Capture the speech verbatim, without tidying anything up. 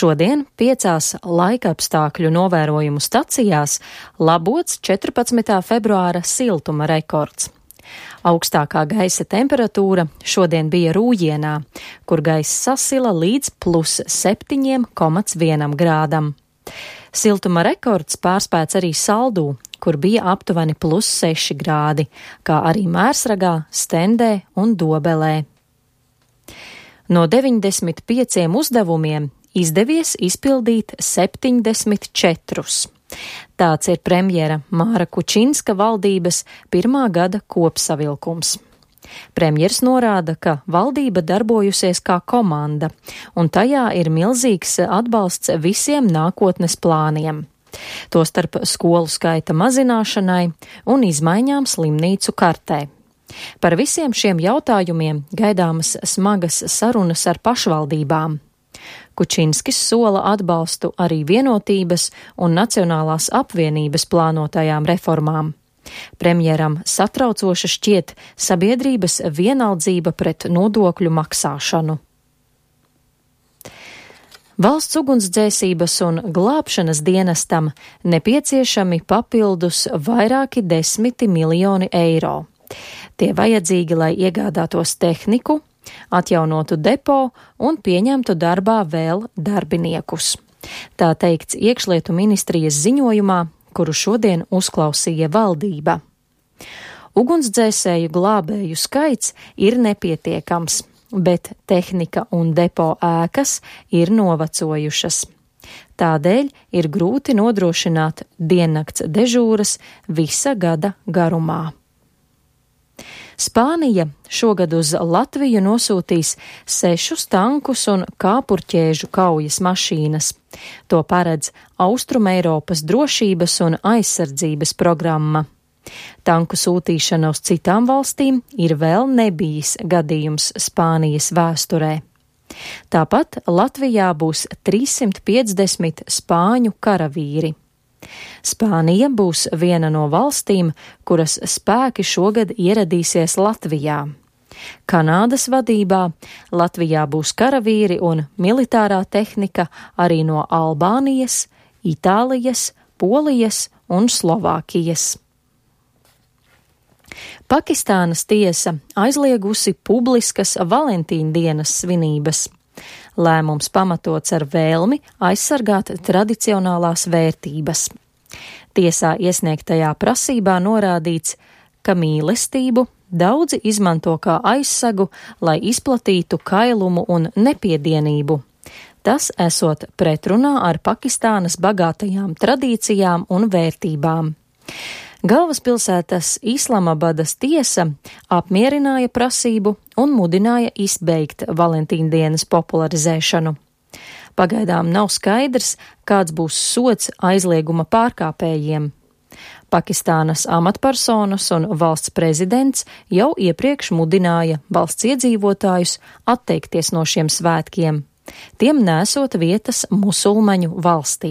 Šodien piecās laikapstākļu novērojumu stacijās labots četrpadsmitā februāra siltuma rekords. Augstākā gaisa temperatūra šodien bija Rūjienā, kur gaiss sasila līdz plus septiņiem komats vienam grādam. Siltuma rekords pārspēts arī Saldū, kur bija aptuveni plus seši grādi, kā arī Mērsragā, Stendē un Dobelē. No deviņdesmit pieciem uzdevumiem izdevies izpildīt septiņdesmit četrus. Tāds ir premjera Māra Kučinska valdības pirmā gada kopsavilkums. Premjers norāda, ka valdība darbojusies kā komanda, un tajā ir milzīgs atbalsts visiem nākotnes plāniem, tostarp skolu skaita mazināšanai un izmaiņām slimnīcu kartē. Par visiem šiem jautājumiem gaidāmas smagas sarunas ar pašvaldībām. Kučinskis sola atbalstu arī vienotības un Nacionālās apvienības plānotajām reformām. Premjeram satraucoša šķiet sabiedrības vienaldzība pret nodokļu maksāšanu. Valsts ugunsdzēsības un glābšanas dienestam nepieciešami papildus vairāki desmiti miljoni eiro. Tie vajadzīgi, lai iegādātos tehniku, atjaunotu depo un pieņemtu darbā vēl darbiniekus. Tā teikts Iekšlietu ministrijas ziņojumā, kuru šodien uzklausīja valdība. Ugunsdzēsēju glābēju skaits ir nepietiekams, bet tehnika un depo ēkas ir novecojušas. Tādēļ ir grūti nodrošināt diennakts dežūras visa gada garumā. Spānija šogad uz Latviju nosūtīs sešus tankus un kāpurķēžu kaujas mašīnas. To paredz Austrumeiropas drošības un aizsardzības programma. Tanku sūtīšana uz citām valstīm ir vēl nebijis gadījums Spānijas vēsturē. Tāpat Latvijā būs trīssimt piecdesmit spāņu karavīri. Spānija būs viena no valstīm, kuras spēki šogad ieradīsies Latvijā. Kanādas vadībā Latvijā būs karavīri un militārā tehnika arī no Albānijas, Itālijas, Polijas un Slovākijas. Pakistānas tiesa aizliegusi publiskas Valentīna dienas svinības. Lēmums pamatots ar vēlmi aizsargāt tradicionālās vērtības. Tiesā iesniegtajā prasībā norādīts, ka mīlestību daudzi izmanto kā aizsagu, lai izplatītu kailumu un nepiedienību. Tas esot pretrunā ar Pakistānas bagātajām tradīcijām un vērtībām. Galvaspilsētas Islamabadas tiesa apmierināja prasību un mudināja izbeigt Valentīna dienas popularizēšanu. Pagaidām nav skaidrs, kāds būs sods aizlieguma pārkāpējiem. Pakistānas amatpersonas un valsts prezidents jau iepriekš mudināja valsts iedzīvotājus atteikties no šiem svētkiem, tiem nesot vietas musulmaņu valstī.